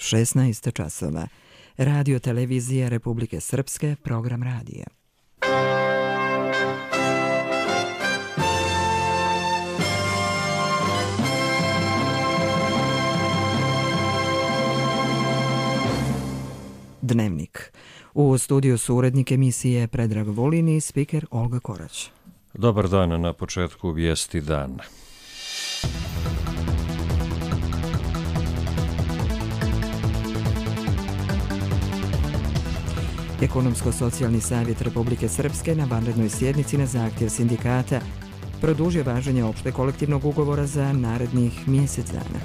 16 časova. Radio televizija Republike Srpske, program radija. Dnevnik. U studiju su urednik emisije Predrag Vulin i spiker Olga Korać. Dobar dan, na početku vijesti dana. Ekonomsko-socijalni savjet Republike Srpske na vanrednoj sjednici na zahtjev sindikata produžio važenje opšte kolektivnog ugovora za narednih mjesec dana.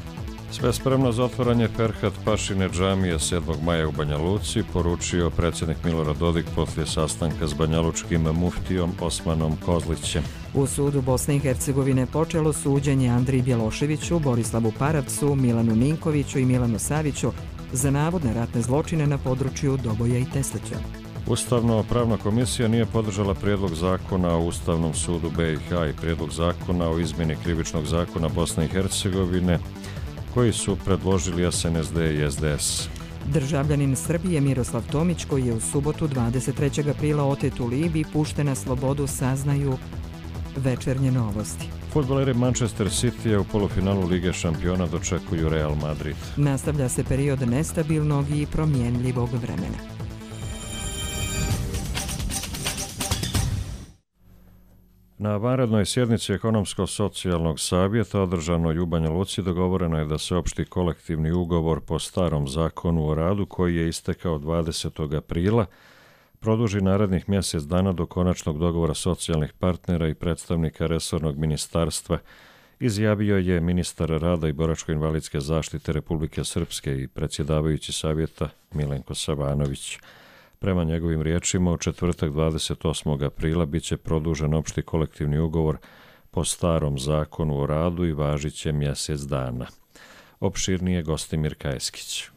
Sve spremno za otvaranje Ferhat Pašine džamije 7. maja u Banja Luci, poručio predsjednik Milorad Dodik poslije sastanka s banjalučkim muftijom Osmanom Kozlićem. U sudu Bosne i Hercegovine počelo suđenje Andriji Bjeloševiću, Borislavu Paravcu, Milanu Ninkoviću i Milanu Saviću za navodne ratne zločine na području Doboja i Teslića. Ustavno-pravna komisija nije podržala prijedlog zakona o Ustavnom sudu BiH i prijedlog zakona o izmjeni krivičnog zakona Bosne i Hercegovine koji su predložili SNSD i SDS. Državljanin Srbije Miroslav Tomić, koji je u subotu 23. aprila otet u Libiji, pušten na slobodu, saznaju Večernje novosti. Fudbaleri Manchester City u polufinalu Lige šampiona dočekuju Real Madrid. Nastavlja se period nestabilnog i promjenljivog vremena. Na vanrednoj sjednici Ekonomsko-socijalnog savjeta održanoj u Banja Luci dogovoreno je da se opšti kolektivni ugovor po starom zakonu o radu koji je istekao 20. aprila produži narednih mjesec dana do konačnog dogovora socijalnih partnera i predstavnika resornog ministarstva, izjavio je ministar rada i boračko-invalidske zaštite Republike Srpske i predsjedavajući savjeta Milenko Savanović. Prema njegovim riječima, u četvrtak 28. aprila bit će produžen opšti kolektivni ugovor po starom zakonu o radu i važit će mjesec dana. Opširnije Gostimir Kajeskić.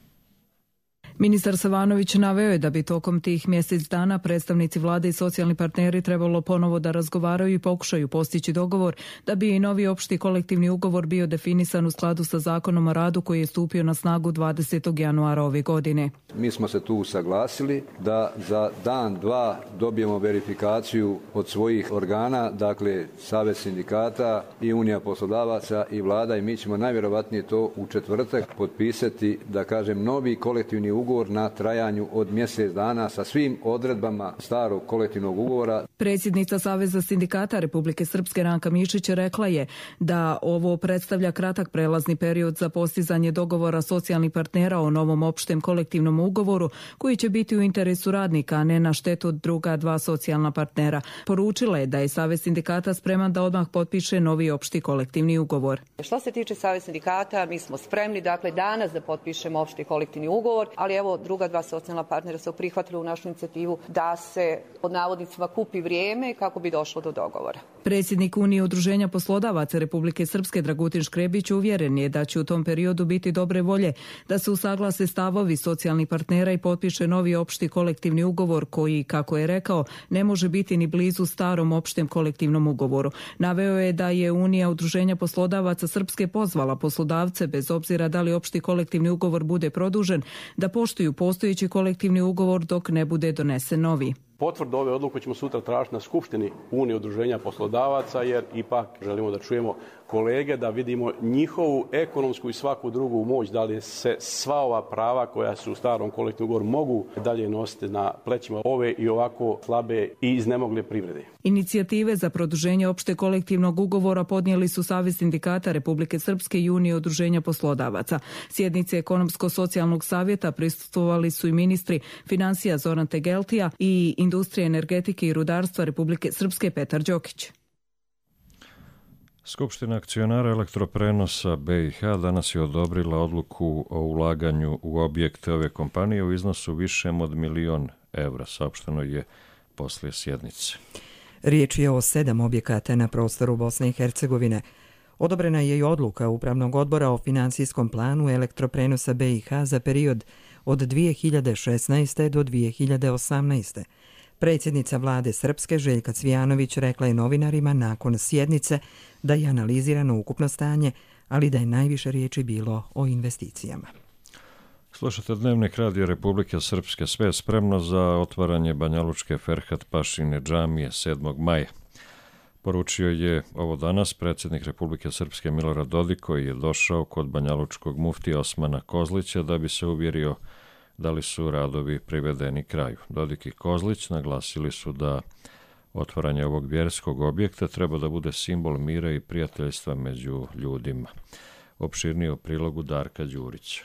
Ministar Savanović naveo je da bi tokom tih mjesec dana predstavnici vlade i socijalni partneri trebalo ponovo da razgovaraju i pokušaju postići dogovor da bi i novi opšti kolektivni ugovor bio definisan u skladu sa zakonom o radu koji je stupio na snagu 20. januara ove godine. Mi smo se tu usaglasili da za dan, dva dobijemo verifikaciju od svojih organa, dakle Savez sindikata i Unija poslodavaca i vlada, i mi ćemo najvjerovatnije to u četvrtak potpisati, da kažem, novi kolektivni ugovor na trajanju od mjesec dana sa svim odredbama starog kolektivnog ugovora. Predsjednica Saveza sindikata Republike Srpske Ranka Mišić rekla je da ovo predstavlja kratak prelazni period za postizanje dogovora socijalnih partnera o novom opštem kolektivnom ugovoru koji će biti u interesu radnika, a ne na štetu druga dva socijalna partnera. Poručila je da je Savez sindikata spreman da odmah potpiše novi opšti kolektivni ugovor. Što se tiče Saveza sindikata, mi smo spremni, dakle, danas da potpišemo opšti kolektivni ugovor, ali evo, druga dva socijalna partnera su prihvatili u našu inicijativu da se pod navodnicima kupi vrijeme kako bi došlo do dogovora. Predsjednik Unije udruženja poslodavaca Republike Srpske Dragutin Škrebić uvjeren je da će u tom periodu biti dobre volje da se usaglase stavovi socijalnih partnera i potpiše novi opšti kolektivni ugovor koji, kako je rekao, ne može biti ni blizu starom opštem kolektivnom ugovoru. Naveo je da je Unija udruženja poslodavaca Srpske pozvala poslodavce, bez obzira da li opšti kolektivni ugovor bude produžen, da poštuju postojeći kolektivni ugovor dok ne bude donesen novi. Potvrdu ove odluke ćemo sutra tražiti na Skupštini Unije udruženja poslodavaca, jer ipak želimo da čujemo kolege, da vidimo njihovu ekonomsku i svaku drugu moć, da li se sva ova prava koja su u starom kolektivnom ugovoru mogu dalje nositi na plećima ove i ovako slabe i iznemogle privrede. Inicijative za produženje opšte kolektivnog ugovora podnijeli su Savez sindikata Republike Srpske i Unije udruženja poslodavaca. Sjednice Ekonomsko-socijalnog savjeta prisustvovali su i ministri financija Zoran Tegeltija i industrije, energetike i rudarstva Republike Srpske Petar Đokić. Skupština akcionara elektroprenosa BiH danas je odobrila odluku o ulaganju u objekte ove kompanije u iznosu višem od 1 milion evra, saopšteno je poslije sjednice. Riječ je o 7 objekata na prostoru Bosne i Hercegovine. Odobrena je i odluka Upravnog odbora o financijskom planu elektroprenosa BiH za period od 2016. do 2018. Predsjednica vlade Srpske Željka Cvijanović rekla je novinarima nakon sjednice da je analizirano ukupno stanje, ali da je najviše riječi bilo o investicijama. Slušate Dnevnik Radija Republike Srpske, sve je spremno za otvaranje banjalučke Ferhat Pašine džamije 7. maja. Poručio je ovo danas predsjednik Republike Srpske Milorad Dodik, koji je došao kod banjalučkog muftija Osmana Kozlića da bi se uvjerio da li su radovi privedeni kraju. Dodik i Kozlić naglasili su da otvaranje ovog vjerskog objekta treba da bude simbol mira i prijateljstva među ljudima. Opširnije o prilogu Darka Đurića.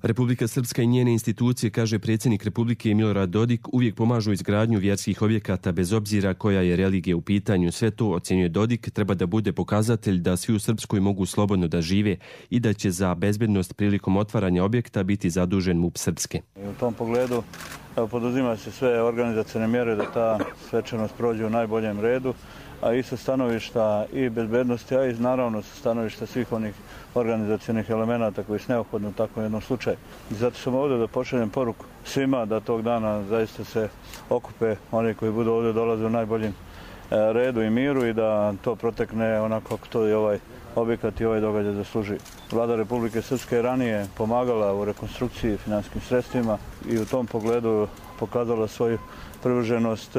Republika Srpska i njene institucije, kaže predsjednik Republike Milorad Dodik, uvijek pomažu izgradnju vjerskih objekata bez obzira koja je religija u pitanju. Sve to, ocjenjuje Dodik, treba da bude pokazatelj da svi u Srpskoj mogu slobodno da žive i da će za bezbednost prilikom otvaranja objekta biti zadužen MUP Srpske. U tom pogledu poduzima se sve organizacione mjere da ta svečanost prođe u najboljem redu, a i sa stanovišta i bezbednosti, a i naravno sa stanovišta svih onih organizacionih elemenata koji su neophodni u takvom jednom slučaju. I zato sam ovdje da pošaljem poruku svima da tog dana zaista se okupe oni koji budu ovdje dolaze u najboljem redu i miru i da to protekne onako kako to i ovaj objekat i ovaj događaj zaslužuje. Vlada Republike Srpske je ranije pomagala u rekonstrukciji finansijskim sredstvima i u tom pogledu pokazala svoju privrženost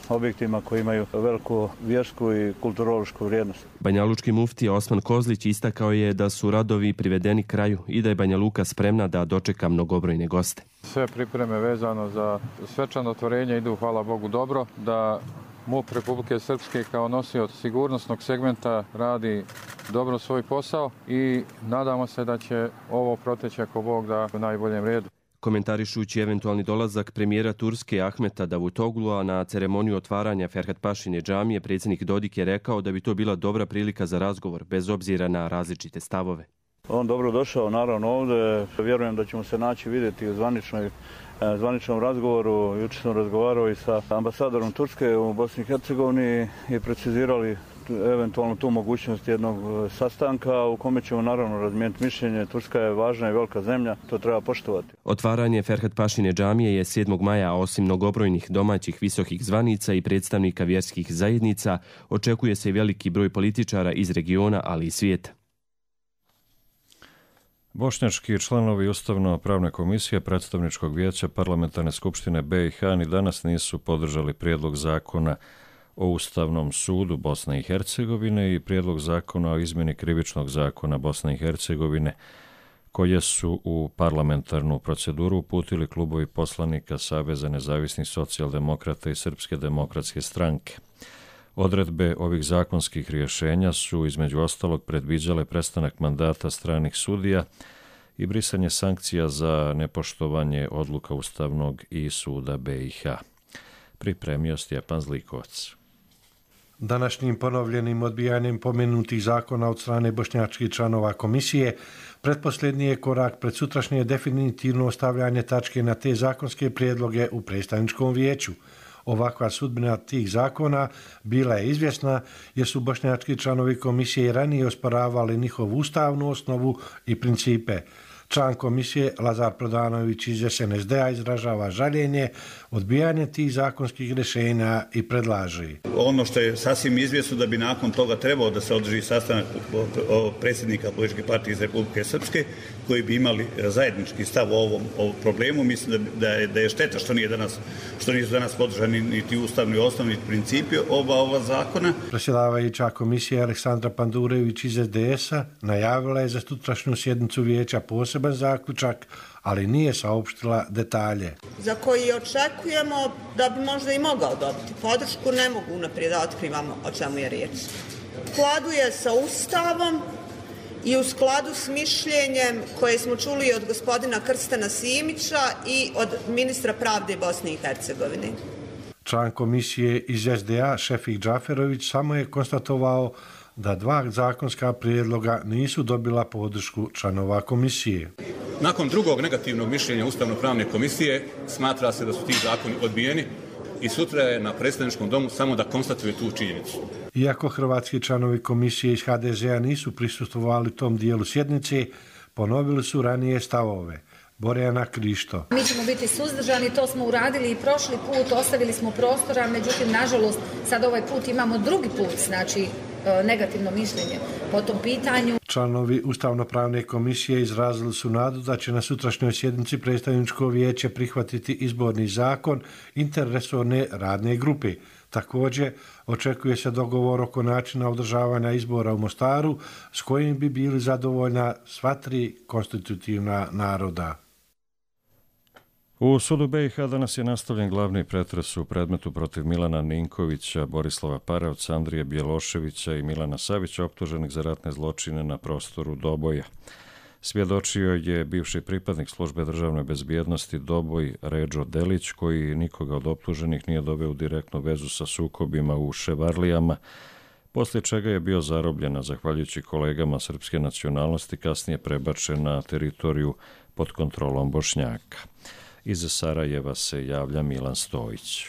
objektima koji imaju veliku vjersku i kulturološku vrijednost. Banjalučki muftija Osman Kozlić istakao je da su radovi privedeni kraju i da je Banja Luka spremna da dočeka mnogobrojne goste. Sve pripreme vezano za svečano otvorenje idu, hvala Bogu, dobro, da MUP Republike Srpske kao nosioc sigurnosnog segmenta radi dobro svoj posao i nadamo se da će ovo proteći ako Bog da u najboljem redu. Komentarišući eventualni dolazak premijera Turske Ahmeta Davutoglua na ceremoniju otvaranja Ferhat Pašine džamije, predsjednik Dodik je rekao da bi to bila dobra prilika za razgovor, bez obzira na različite stavove. On dobro došao naravno ovdje, vjerujem da ćemo se naći vidjeti u zvaničnom razgovoru. Jučer sam razgovarao i sa ambasadorom Turske u Bosni i Hercegovini i precizirali eventualno tu mogućnost jednog sastanka u kome ćemo naravno razmijeniti mišljenje. Turska je važna i velika zemlja, to treba poštovati. Otvaranje Ferhat Pašine džamije je 7. maja, a osim mnogobrojnih domaćih visokih zvanica i predstavnika vjerskih zajednica, očekuje se i veliki broj političara iz regiona, ali i svijeta. Bošnjački članovi Ustavno-pravne komisije Predstavničkog vijeća Parlamentarne skupštine BiH ni danas nisu podržali prijedlog zakona o Ustavnom sudu Bosne i Hercegovine i prijedlog zakona o izmjeni krivičnog zakona Bosne i Hercegovine, koje su u parlamentarnu proceduru uputili klubovi poslanika Saveza nezavisnih socijaldemokrata i Srpske demokratske stranke. Odredbe ovih zakonskih rješenja su između ostalog predviđale prestanak mandata stranih sudija i brisanje sankcija za nepoštovanje odluka Ustavnog i suda BiH. Pripremio Stjepan Zlikovac. Današnjim ponovljenim odbijanjem pomenutih zakona od strane bošnjačkih članova komisije pretposljednji je korak pred sutrašnje definitivno ostavljanje tačke na te zakonske prijedloge u predstavničkom vijeću. Ovakva sudbina tih zakona bila je izvjesna jer su bošnjački članovi komisije ranije osporavali njihovu ustavnu osnovu i principe. Član komisije Lazar Prodanović iz SNSD-a izražava žaljenje odbijanje tih zakonskih rješenja i predlaže. Ono što je sasvim izvjesno da bi nakon toga trebao da se održi sastanak predsjednika političke partije iz Republike Srpske koji bi imali zajednički stav o ovom problemu. Mislim da je šteta što nisu danas podržani niti ustavni osnovni principi ova zakona. Predsjedavajuća komisija Aleksandra Pandurević iz SDS-a najavila je za sutrašnju sjednicu vijeća poseban zaključak, ali nije saopštila detalje. Za koji očekujemo da bi možda i mogao dobiti podršku, ne mogu unaprijed da otkrivamo o čemu je riječ. U skladu je sa Ustavom i u skladu s mišljenjem koje smo čuli od gospodina Krstana Simića i od ministra pravde Bosne i Hercegovine. Član komisije iz SDA Šefik Džaferović samo je konstatovao da dva zakonska prijedloga nisu dobila podršku članova komisije. Nakon drugog negativnog mišljenja Ustavno-pravne komisije smatra se da su ti zakoni odbijeni i sutra je na predstavničkom domu samo da konstatuje tu činjenicu. Iako hrvatski članovi komisije iz HDZ-a nisu prisustvovali tom dijelu sjednice, ponovili su ranije stavove. Borjana Krišto. Mi ćemo biti suzdržani, to smo uradili i prošli put, ostavili smo prostora, međutim, nažalost, sad ovaj put imamo drugi put, znači negativno mišljenje po tom pitanju. Članovi Ustavno-pravne komisije izrazili su nadu da će na sutrašnjoj sjednici predstavničko vijeće prihvatiti izborni zakon interresorne radne grupe. Također, očekuje se dogovor oko načina održavanja izbora u Mostaru s kojim bi bili zadovoljna sva tri konstitutivna naroda. U sudu BiH danas je nastavljen glavni pretres u predmetu protiv Milana Ninkovića, Borislava Paravca, Andrije Bjeloševića i Milana Savića, optuženih za ratne zločine na prostoru Doboja. Svjedočio je bivši pripadnik službe državne bezbjednosti Doboj Redžo Delić, koji nikoga od optuženih nije doveo u direktnu vezu sa sukobima u Ševarlijama, poslije čega je bio zarobljen, a zahvaljujući kolegama srpske nacionalnosti kasnije prebačen na teritoriju pod kontrolom Bošnjaka. Iz Sarajeva se javlja Milan Stojić.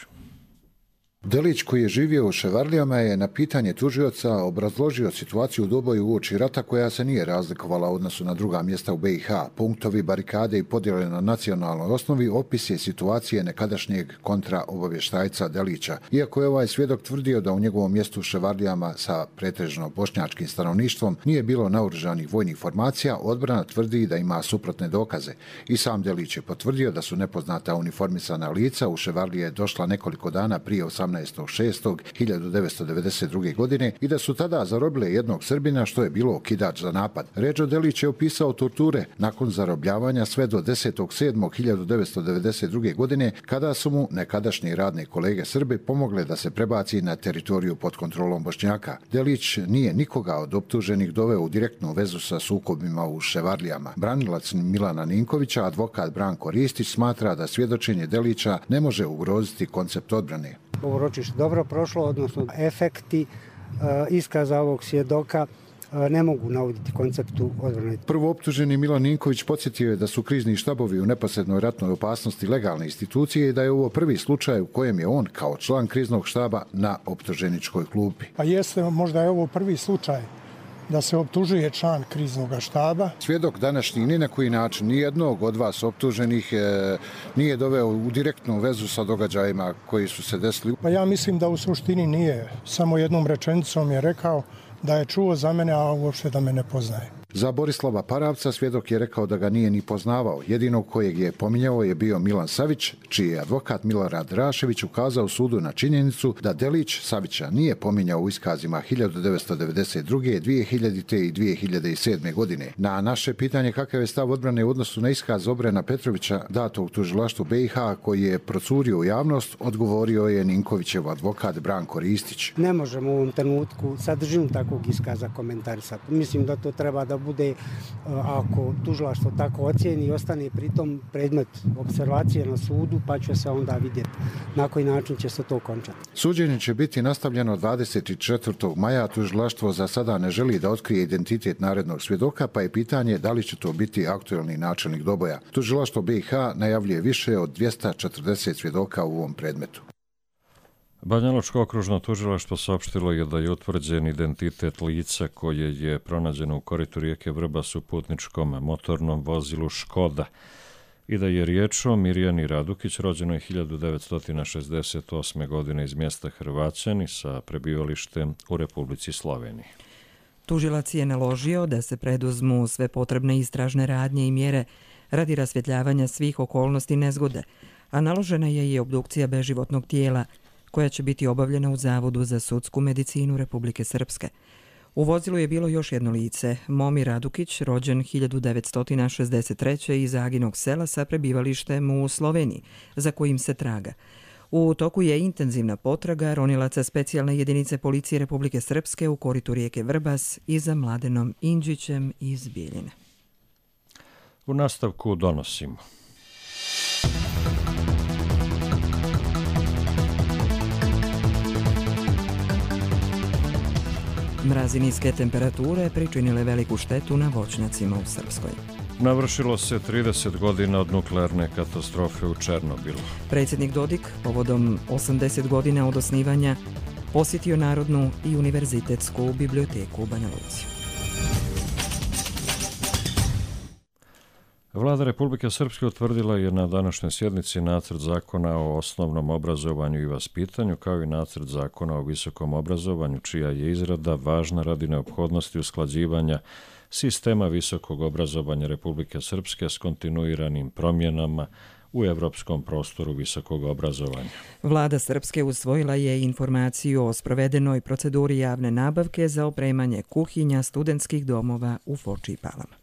Delić, koji je živio u Ševarlijama, je na pitanje tužioca obrazložio situaciju u Doboju uoči rata koja se nije razlikovala u odnosu na druga mjesta u BiH. Punktovi, barikade i podjele na nacionalnoj osnovi opis je situacije nekadašnjeg kontraobavještajca Delića. Iako je ovaj svjedok tvrdio da u njegovom mjestu u Ševarlijama sa pretežno bošnjačkim stanovništvom nije bilo naoružanih vojnih formacija, odbrana tvrdi da ima suprotne dokaze. I sam Delić je potvrdio da su nepoznata uniformisana lica u Ševarlije došla nekoliko dana prije 18.6.1992. godine i da su tada zarobile jednog Srbina, što je bilo okidač za napad. Redžo Delić je opisao torture nakon zarobljavanja sve do 10.7.1992. godine, kada su mu nekadašnji radne kolege Srbi pomogle da se prebaci na teritoriju pod kontrolom Bošnjaka. Delić nije nikoga od optuženih doveo u direktnu vezu sa sukobima u Ševarlijama. Branilac Milana Ninkovića, advokat Branko Ristić, smatra da svjedočenje Delića ne može ugroziti koncept odbrane. Ovo ročište dobro prošlo, odnosno efekti iskaza ovog svjedoka ne mogu navoditi konceptu odbrane. Prvo optuženi Milan Ninković podsjetio je da su krizni štabovi u neposrednoj ratnoj opasnosti legalne institucije i da je ovo prvi slučaj u kojem je on kao član kriznog štaba na optuženičkoj klupi. Pa jeste, možda je ovo prvi slučaj da se optužuje član kriznog štaba. Svjedok današnji ni na koji način nijednog od vas optuženih nije doveo u direktnu vezu sa događajima koji su se desili. Pa ja mislim da u suštini nije. Samo jednom rečenicom je rekao da je čuo za mene, a uopšte da me ne poznaje. Za Borislava Paravca svjedok je rekao da ga nije ni poznavao. Jedinog kojeg je pominjao je bio Milan Savić, čiji je advokat Milorad Rašević ukazao sudu na činjenicu da Delić Savića nije pominjao u iskazima 1992., 2000. i 2007. godine. Na naše pitanje kakav je stav odbrane u odnosu na iskaz Obrena Petrovića datog u tužilaštvu BiH koji je procurio u javnost, odgovorio je Ninkovićev advokat Branko Ristić. Ne možemo u ovom trenutku sadržinu takvog iskaza komentarisati. Mislim da to treba da bude, ako tužilaštvo tako ocijeni i ostane pritom predmet observacije na sudu, pa će se onda vidjeti na koji način će se to končati. Suđenje će biti nastavljeno 24. maja. Tužilaštvo za sada ne želi da otkrije identitet narednog svjedoka, pa je pitanje da li će to biti aktuelni načelnik Doboja. Tužilaštvo BiH najavljuje više od 240 svjedoka u ovom predmetu. Banjalučko okružno tužilaštvo saopštilo je da je utvrđen identitet lica koje je pronađeno u koritu rijeke Vrbas u putničkom motornom vozilu Škoda i da je riječ o Mirjani Radukić, rođenoj 1968. godine iz mjesta Hrvaćani sa prebivalištem u Republici Sloveniji. Tužilac je naložio da se preduzmu sve potrebne istražne radnje i mjere radi rasvjetljavanja svih okolnosti nezgode, a naložena je i obdukcija beživotnog tijela koja će biti obavljena u Zavodu za sudsku medicinu Republike Srpske. U vozilu je bilo još jedno lice, Momi Radukić, rođen 1963. iz Aginog sela sa prebivalištem u Sloveniji, za kojim se traga. U toku je intenzivna potraga ronilaca specijalne jedinice policije Republike Srpske u koritu rijeke Vrbas i za Mladenom Indžićem iz Bijeljine. U nastavku donosimo. Mrazi niske temperature pričinile veliku štetu na voćnjacima u Srpskoj. Navršilo se 30 godina od nuklearne katastrofe u Černobilu. Predsjednik Dodik, povodom 80 godina od osnivanja, posjetio Narodnu i univerzitetsku biblioteku u Banja Luci. Vlada Republike Srpske utvrdila je na današnjoj sjednici nacrt zakona o osnovnom obrazovanju i vaspitanju, kao i nacrt zakona o visokom obrazovanju, čija je izrada važna radi neophodnosti usklađivanja sistema visokog obrazovanja Republike Srpske s kontinuiranim promjenama u evropskom prostoru visokog obrazovanja. Vlada Srpske usvojila je informaciju o sprovedenoj proceduri javne nabavke za opremanje kuhinja studentskih domova u Foči i Palama.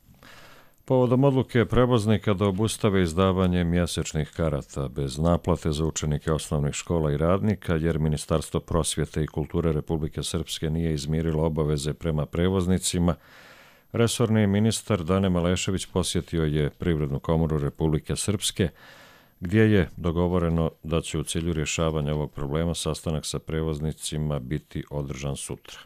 Povodom odluke prevoznika da obustave izdavanje mjesečnih karata bez naplate za učenike osnovnih škola i radnika, jer Ministarstvo prosvjete i kulture Republike Srpske nije izmirilo obaveze prema prevoznicima, resorni ministar Dane Malešević posjetio je Privrednu komoru Republike Srpske, gdje je dogovoreno da će u cilju rješavanja ovog problema sastanak sa prevoznicima biti održan sutra.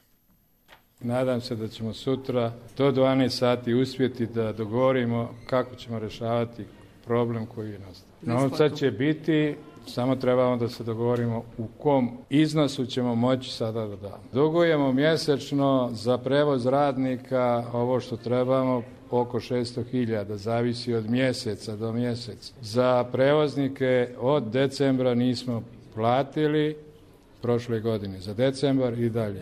Nadam se da ćemo sutra do 12 sati uspjeti da dogovorimo kako ćemo rješavati problem koji je nastao. Novca će biti, samo trebamo da se dogovorimo u kom iznosu ćemo moći sada da damo. Dugujemo mjesečno za prevoz radnika ovo što trebamo oko 600.000, zavisi od mjeseca do mjeseca. Za prevoznike od decembra nismo platili prošle godine, za decembar i dalje.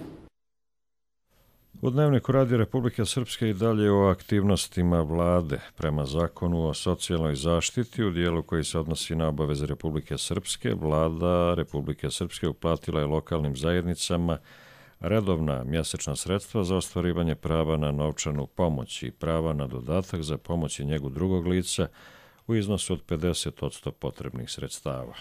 U Dnevniku Radio Republike Srpske i dalje o aktivnostima vlade prema zakonu o socijalnoj zaštiti u dijelu koji se odnosi na obaveze Republike Srpske. Vlada Republike Srpske uplatila je lokalnim zajednicama redovna mjesečna sredstva za ostvarivanje prava na novčanu pomoć i prava na dodatak za pomoć i njegu drugog lica u iznosu od 50% potrebnih sredstava.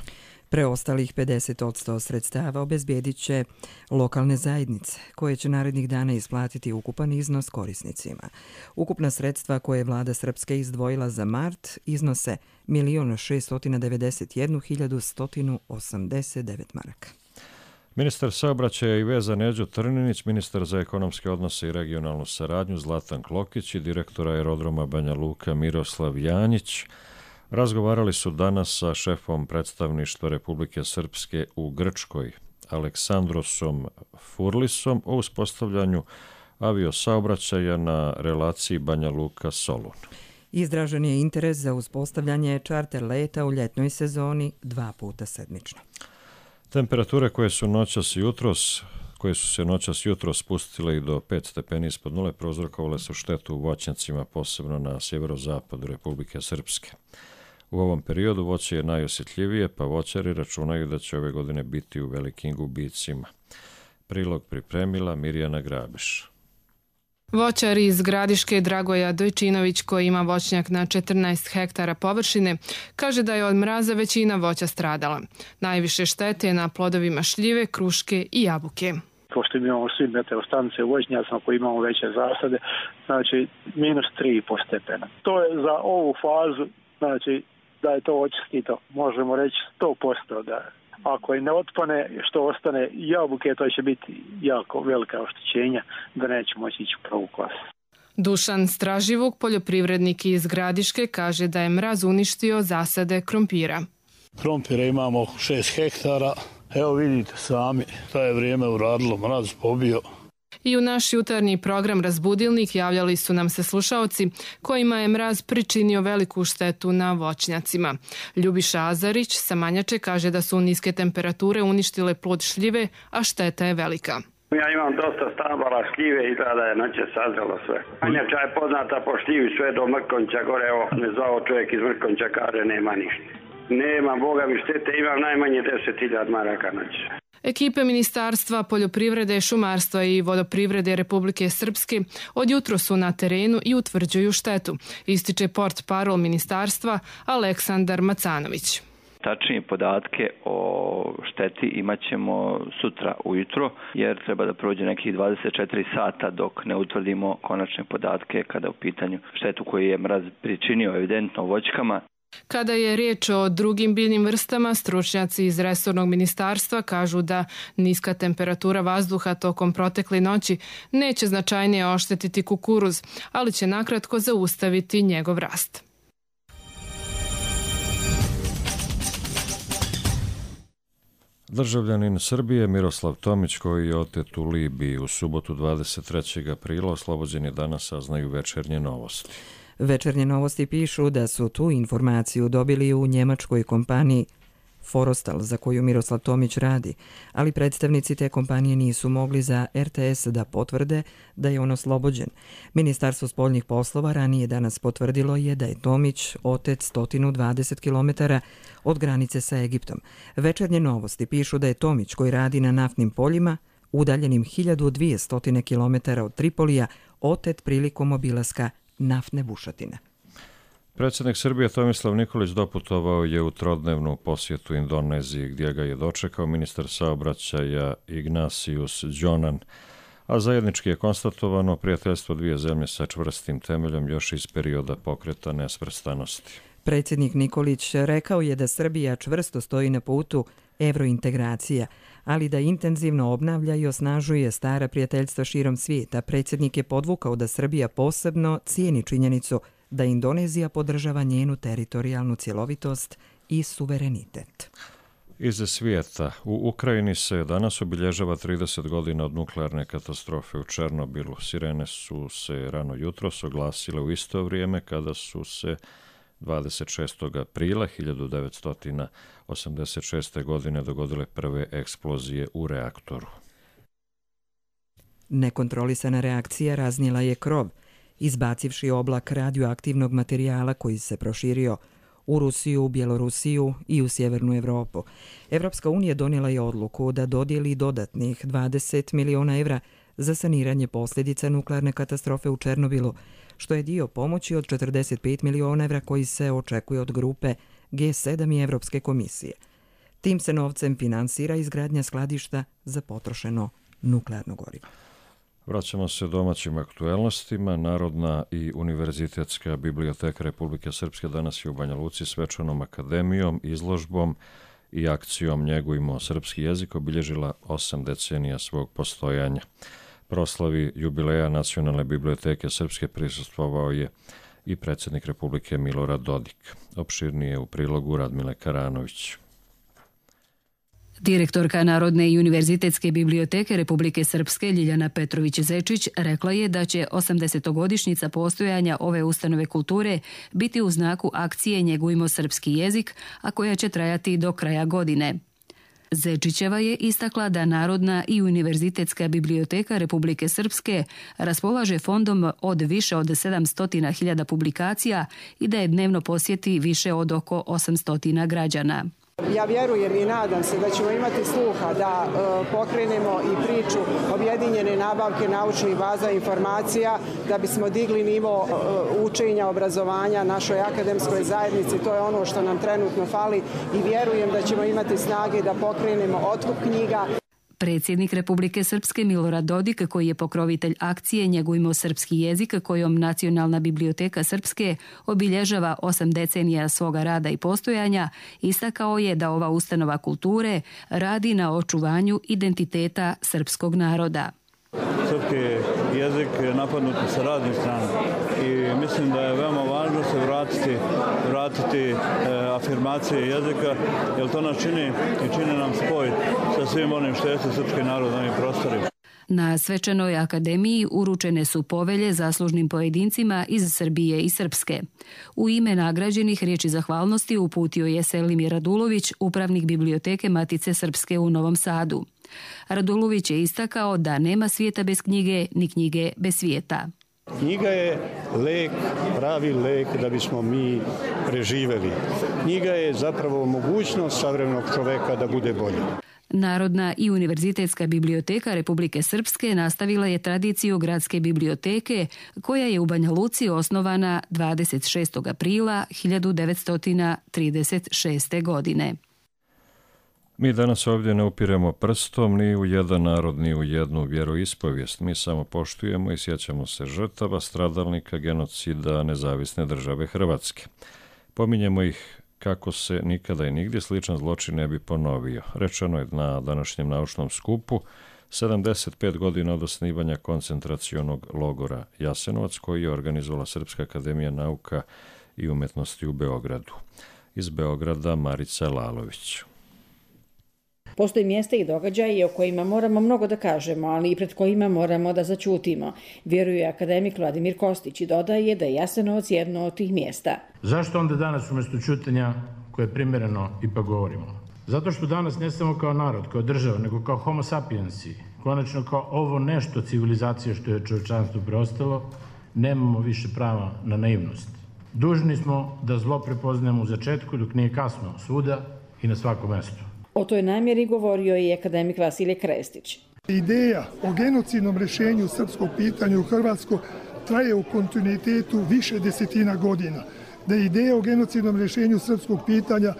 Preostalih 50% sredstava obezbijedit će lokalne zajednice, koje će narednih dana isplatiti ukupan iznos korisnicima. Ukupna sredstva koje je vlada Srpske izdvojila za mart iznose 1.691.189 maraka. Ministar saobraćaja i veza Neđo Trninić, ministar za ekonomske odnose i regionalnu saradnju Zlatan Klokić i direktor aerodroma Banja Luka Miroslav Janjić razgovarali su danas sa šefom predstavništva Republike Srpske u Grčkoj, Aleksandrosom Furlisom, o uspostavljanju aviosaobraćaja na relaciji Banja Luka-Solun. Izražen je interes za uspostavljanje čarter leta u ljetnoj sezoni 2 puta sedmično. Temperature koje su se noćas jutros spustile i do 5 stepeni ispod nule prouzrokovale su štetu u voćnjacima, posebno na sjeverozapadu Republike Srpske. U ovom periodu voće je najosjetljivije, pa voćari računaju da će ove godine biti u velikim gubicima. Prilog pripremila Mirjana Grabiš. Voćar iz Gradiške Dragoja Dojčinović, koji ima voćnjak na 14 hektara površine, kaže da je od mraza većina voća stradala. Najviše štete je na plodovima šljive, kruške i jabuke. Pošto imamo svi meteostanice u voćnjacima koji imamo veće zasade, znači -3,5 stepena. To je za ovu fazu, znači da je to očistito, možemo reći 100% da ako i ne otpane, što ostane jabuke, to će biti jako velika oštećenja da neće moći ići u prvu klasu. Dušan Straživuk, poljoprivrednik iz Gradiške, kaže da je mraz uništio zasade krompira. Krompira imamo 6 hektara, evo vidite sami, to je vrijeme uradilo, mraz pobio. I u naš jutarnji program Razbudilnik javljali su nam se slušaoci kojima je mraz pričinio veliku štetu na voćnjacima. Ljubiša Azarić sa Manjače kaže da su niske temperature uništile plod šljive, a šteta je velika. Ja imam dosta stabala šljive i da je noće sazrelo sve. Manjača je poznata po šljivi sve do Mrkonća gore, evo me zvao čovjek iz Mrkonća, kaže nema ništa. Nema, Boga mi štete, imam najmanje 10.000 maraka noće. Ekipe Ministarstva poljoprivrede, šumarstva i vodoprivrede Republike Srpske od jutro su na terenu i utvrđuju štetu, ističe portparol ministarstva Aleksandar Macanović. Tačnije podatke o šteti imat ćemo sutra ujutro, jer treba da prođe nekih 24 sata dok ne utvrdimo konačne podatke kada u pitanju štetu koju je mraz pričinio evidentno voćkama. Kada je riječ o drugim biljnim vrstama, stručnjaci iz resornog ministarstva kažu da niska temperatura vazduha tokom protekle noći neće značajnije oštetiti kukuruz, ali će nakratko zaustaviti njegov rast. Državljanin Srbije Miroslav Tomić, koji je otet u Libiji u subotu 23. aprila, oslobođen je danas, saznaju Večernje novosti. Večernje novosti pišu da su tu informaciju dobili u njemačkoj kompaniji Forostal, za koju Miroslav Tomić radi, ali predstavnici te kompanije nisu mogli za RTS da potvrde da je on oslobođen. Ministarstvo spoljnih poslova ranije danas potvrdilo je da je Tomić otet 120 km od granice sa Egiptom. Večernje novosti pišu da je Tomić, koji radi na naftnim poljima, udaljenim 1200 km od Tripolija, otet prilikom obilaska naftne bušotine. Predsjednik Srbije Tomislav Nikolić doputovao je u trodnevnu posjetu Indoneziji, gdje ga je dočekao ministar saobraćaja Ignatius Jonan, a zajednički je konstatovano prijateljstvo dvije zemlje sa čvrstim temeljom još iz perioda pokreta nesvrstanosti. Predsjednik Nikolić rekao je da Srbija čvrsto stoji na putu evrointegracija, ali da intenzivno obnavlja i osnažuje stara prijateljstva širom svijeta. Predsjednik je podvukao da Srbija posebno cijeni činjenicu da Indonezija podržava njenu teritorijalnu cjelovitost i suverenitet. Iz svijeta. U Ukrajini se danas obilježava 30 godina od nuklearne katastrofe u Černobilu. Sirene su se rano jutros oglasile u isto vrijeme kada su se 26. aprila 1986. godine dogodile prve eksplozije u reaktoru. Nekontrolisana reakcija raznijela je krov, izbacivši oblak radioaktivnog materijala koji se proširio u Rusiju, u Bjelorusiju i u Sjevernu Evropu. Evropska unija donijela je odluku da dodijeli dodatnih 20 miliona evra za saniranje posljedica nuklearne katastrofe u Černobilu, što je dio pomoći od 45 miliona evra koji se očekuje od grupe G7 i Evropske komisije. Tim se novcem finansira izgradnja skladišta za potrošeno nuklearno gorivo. Vraćamo se domaćim aktuelnostima. Narodna i univerzitetska biblioteka Republike Srpske danas je u Banja Luci svečanom akademijom, izložbom i akcijom Njegujmo srpski jezik obilježila 8 decenija svog postojanja. Proslavi jubileja Nacionalne biblioteke Srpske prisustvovao je i predsjednik Republike Milorad Dodik. Opširnije u prilogu Radmile Karanović. Direktorka Narodne i univerzitetske biblioteke Republike Srpske Ljiljana Petrović-Zečić rekla je da će 80-godišnjica postojanja ove ustanove kulture biti u znaku akcije Njegujmo srpski jezik, a koja će trajati do kraja godine. Zečićeva je istakla da Narodna i univerzitetska biblioteka Republike Srpske raspolaže fondom od više od 700.000 publikacija i da je dnevno posjeti više od oko 800 građana. Ja vjerujem i nadam se da ćemo imati sluha da pokrenemo i priču objedinjene nabavke naučnih baza informacija da bismo digli nivo učenja, obrazovanja našoj akademskoj zajednici. To je ono što nam trenutno fali i vjerujem da ćemo imati snage da pokrenemo otkup knjiga. Predsjednik Republike Srpske Milorad Dodik, koji je pokrovitelj akcije Njegujmo srpski jezik, kojom Nacionalna biblioteka Srpske obilježava 8 decenija svoga rada i postojanja, istakao je da ova ustanova kulture radi na očuvanju identiteta srpskog naroda. Srpski jezik je napadnut sa raznih strana i mislim da je veoma važno se vratiti afirmacije jezika, jer to nas čini i čini nam spoj sa svim onim što jeste srpski narod na ovim prostorima. Na svečanoj akademiji uručene su povelje zaslužnim pojedincima iz Srbije i Srpske. U ime nagrađenih riječi zahvalnosti uputio je Selimir Radulović, upravnik biblioteke Matice Srpske u Novom Sadu. Radulović je istakao da nema svijeta bez knjige, ni knjige bez svijeta. Knjiga je lek, pravi lek da bismo mi preživeli. Knjiga je zapravo mogućnost savremenog čoveka da bude bolji. Narodna i univerzitetska biblioteka Republike Srpske nastavila je tradiciju gradske biblioteke koja je u Banja Luci osnovana 26. aprila 1936. godine. Mi danas ovdje ne upiremo prstom ni u jedan narod, ni u jednu vjeroispovijest. Mi samo poštujemo i sjećamo se žrtava, stradalnika, genocida Nezavisne države Hrvatske. Pominjemo ih kako se nikada i nigdje sličan zločin ne bi ponovio. Rečeno je na današnjem naučnom skupu 75 godina od osnivanja koncentracionog logora Jasenovac, koji je organizovala Srpska akademija nauka i umjetnosti u Beogradu. Iz Beograda Marica Lalović. Postoji mjesta i događaji o kojima moramo mnogo da kažemo, ali i pred kojima moramo da zaćutimo, vjeruje akademik Vladimir Kostić i dodaje da je Jasenovac jedno od tih mjesta. Zašto onda danas umjesto ćutanja koje je primjereno ipak govorimo? Zato što danas ne samo kao narod, kao država, nego kao homo sapiensi, konačno kao ovo nešto civilizacije što je čovječanstvu preostalo, nemamo više prava na naivnost. Dužni smo da zlo prepoznajemo u začetku dok nije kasno, svuda i na svakom mestu. O toj namjeri govorio je i akademik Vasilije Krestić. Ideja o genocidnom rješenju srpskog pitanja u Hrvatskoj traje u kontinuitetu više desetina godina. Da je ideja o genocidnom rješenju srpskog pitanja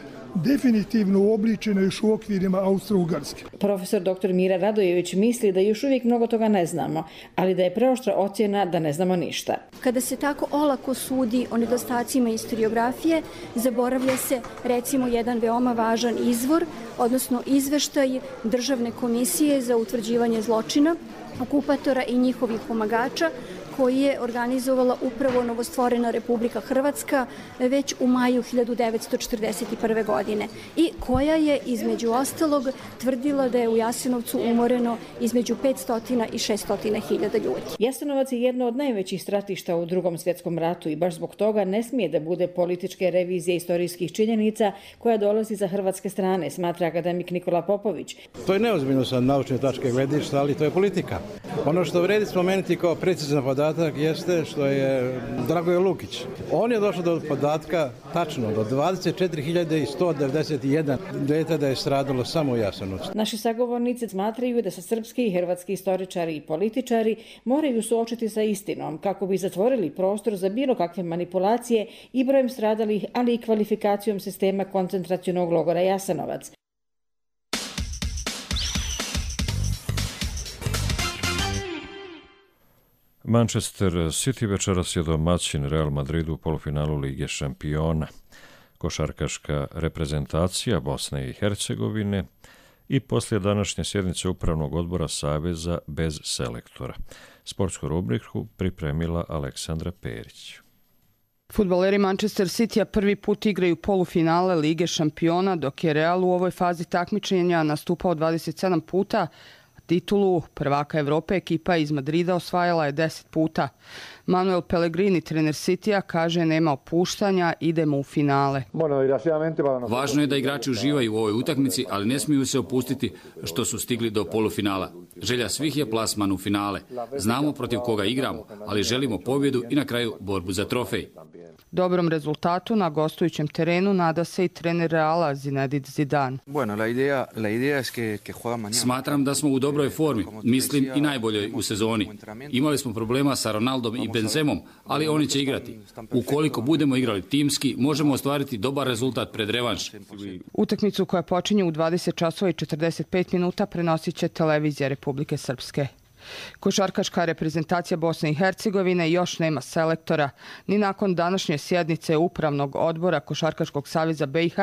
definitivno uobličena još u okvirima Austro-Ugarske. Profesor dr. Mira Radojević misli da još uvijek mnogo toga ne znamo, ali da je preoštra ocjena da ne znamo ništa. Kada se tako olako sudi o nedostacima historiografije, zaboravlja se recimo jedan veoma važan izvor, odnosno izveštaj Državne komisije za utvrđivanje zločina, okupatora i njihovih pomagača, koji je organizovala upravo novostvorena Republika Hrvatska već u maju 1941. godine i koja je između ostalog tvrdila da je u Jasenovcu umoreno između 500 i 600 hiljada ljudi. Jasenovac je jedno od najvećih stratišta u Drugom svjetskom ratu i baš zbog toga ne smije da bude političke revizije istorijskih činjenica koja dolazi za hrvatske strane, smatra akademik Nikola Popović. To je neozbiljno sa naučne tačke gledišta, ali to je politika. Ono što vredi spomenuti kao precizan podatak jeste što je Dragoje Lukić. On je došao do podatka tačno do 24.191 dete da je stradalo samo u Jasenovcu. Naši sagovornici smatraju da se srpski i hrvatski istoričari i političari moraju suočiti sa istinom kako bi zatvorili prostor za bilo kakve manipulacije i brojem stradalih, ali i kvalifikacijom sistema koncentracionog logora Jasenovac. Manchester City večeras je domaćin Real Madridu u polufinalu Lige šampiona. Košarkaška reprezentacija Bosne i Hercegovine i poslije današnje sjednice Upravnog odbora Saveza bez selektora. Sportsku rubriku pripremila Aleksandra Perić. Fudbaleri Manchester Citya prvi put igraju polufinale Lige šampiona, dok je Real u ovoj fazi takmičenja nastupao 27 puta, titulu prvaka Evrope ekipa iz Madrida osvajala je 10 puta. Manuel Pellegrini, trener Citya, kaže nema opuštanja, idemo u finale. Važno je da igrači uživaju u ovoj utakmici, ali ne smiju se opustiti što su stigli do polufinala. Želja svih je plasman u finale. Znamo protiv koga igramo, ali želimo pobjedu i na kraju borbu za trofej. Dobrom rezultatu na gostujućem terenu nada se i trener Reala Zinedine Zidane. Smatram da smo u dobroj formi, mislim i najboljoj u sezoni. Imali smo problema sa Ronaldom i Benzemom, ali oni će igrati. Ukoliko budemo igrali timski, možemo ostvariti dobar rezultat pred revanš. Utakmicu koja počinje u 20 časova i 45 minuta prenosit će televizija Republike Srpske. Košarkaška reprezentacija Bosne i Hercegovine još nema selektora. Ni nakon današnje sjednice Upravnog odbora Košarkaškog saveza BiH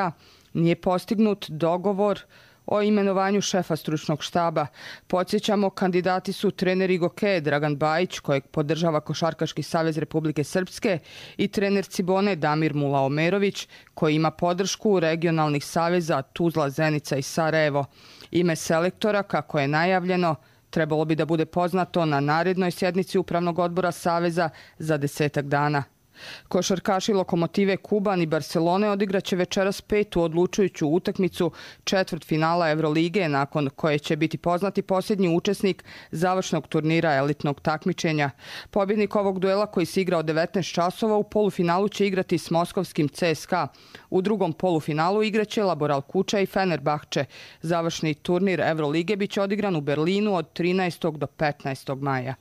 nije postignut dogovor o imenovanju šefa stručnog štaba. Podsjećamo, kandidati su trener Igoke Dragan Bajić, kojeg podržava Košarkaški savez Republike Srpske, i trener Cibone Damir Mulaomerović, koji ima podršku regionalnih saveza Tuzla, Zenica i Sarajevo. Ime selektora, kako je najavljeno, trebalo bi da bude poznato na narednoj sjednici Upravnog odbora Saveza za 10 dana. Košarkaši Lokomotive Kuban i Barcelone odigraće večeras petu odlučujuću utakmicu četvrtfinala Evrolige, nakon koje će biti poznati posljednji učesnik završnog turnira elitnog takmičenja. Pobjednik ovog duela, koji se igra od 19 časova, u polufinalu će igrati s moskovskim CSKA. U drugom polufinalu igraće Laboral Kuča i Fenerbahče. Završni turnir Evrolige biće odigran u Berlinu od 13. do 15. maja.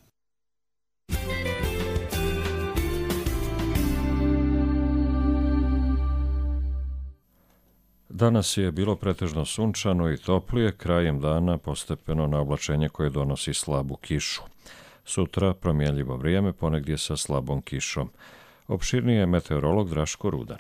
Danas je bilo pretežno sunčano i toplije, krajem dana postepeno na oblačenje koje donosi slabu kišu. Sutra promjenljivo vrijeme, ponegdje sa slabom kišom. Opširnije je meteorolog Draško Rudan.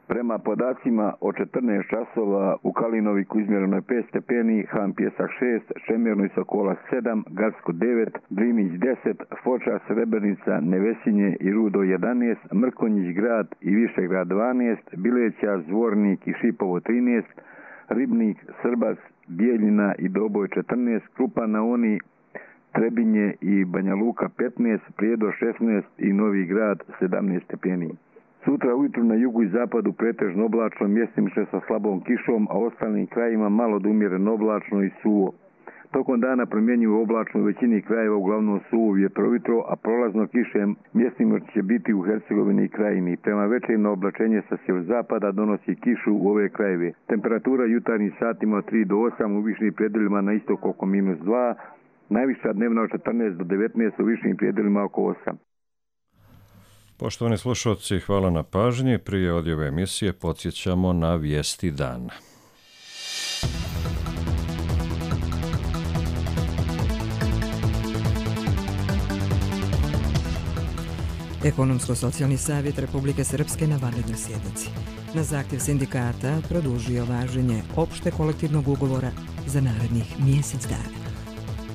Prema podacima od 14 časova u Kalinoviku izmjereno je 5 stepeni, Hampjesak 6, Čemirno i Sokola 7, Garsko 9, Drinić 10, Foča, Srebrenica, Nevesinje i Rudo 11, Mrkonjić grad i Višegrad 12, Bileća, Zvornik i Šipovo 13, Ribnik, Srbac, Bijeljina i Doboj 14, Krupa na Oni, Trebinje i Banja Luka 15, Prijedor 16 i Novi Grad 17 stepeni. Sutra ujutru na jugu i zapadu pretežno oblačno, mjestimično sa slabom kišom, a ostalim krajima malo do umjereno oblačno i suvo. Tokom dana promjenjivo oblačno u većini krajeva, uglavnom suvo vjetrovitro, a prolazno kiše mjestimično će biti u Hercegovini i Krajini. Prema večernje oblačenje sa sjeverozapada donosi kišu u ove krajeve. Temperatura jutarnjih satima od 3 do 8, u višim predjelima na istoku oko -2, najviša dnevna od 14 do 19, u višim predjelima oko 8. Poštovani slušalci, hvala na pažnji. Prije odjave emisije podsjećamo na vijesti dana. Ekonomsko-socijalni savjet Republike Srpske na vanrednoj sjednici na zahtjev sindikata produžio važenje opšte kolektivnog ugovora za narednih mjesec dana.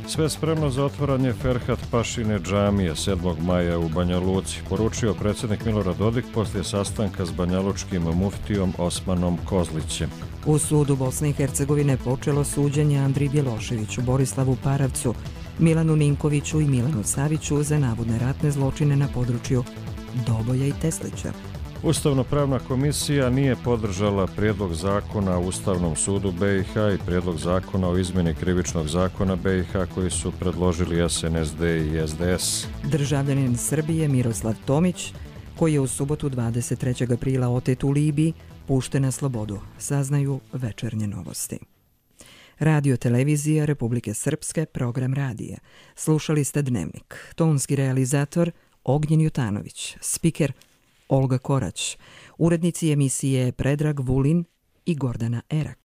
Sve spremno za otvaranje Ferhat Pašine džamije 7. maja u Banja Luci, poručio predsjednik Milorad Dodik poslije sastanka s banjalučkim muftijom Osmanom Kozlićem. U sudu Bosne i Hercegovine počelo suđenje Andriji Bjeloševiću, Borislavu Paravcu, Milanu Ninkoviću i Milanu Saviću za navodne ratne zločine na području Doboja i Teslića. Ustavno-pravna komisija nije podržala prijedlog zakona o Ustavnom sudu BiH i prijedlog zakona o izmjeni krivičnog zakona BiH koji su predložili SNSD i SDS. Državljanin Srbije Miroslav Tomić, koji je u subotu 23. aprila otet u Libiji, pušten na slobodu, saznaju Večernje novosti. Radio televizija Republike Srpske, program radija. Slušali ste Dnevnik. Tonski realizator Ognjen Jutanović, spiker Olga Korać, urednici emisije Predrag Vulin i Gordana Erak.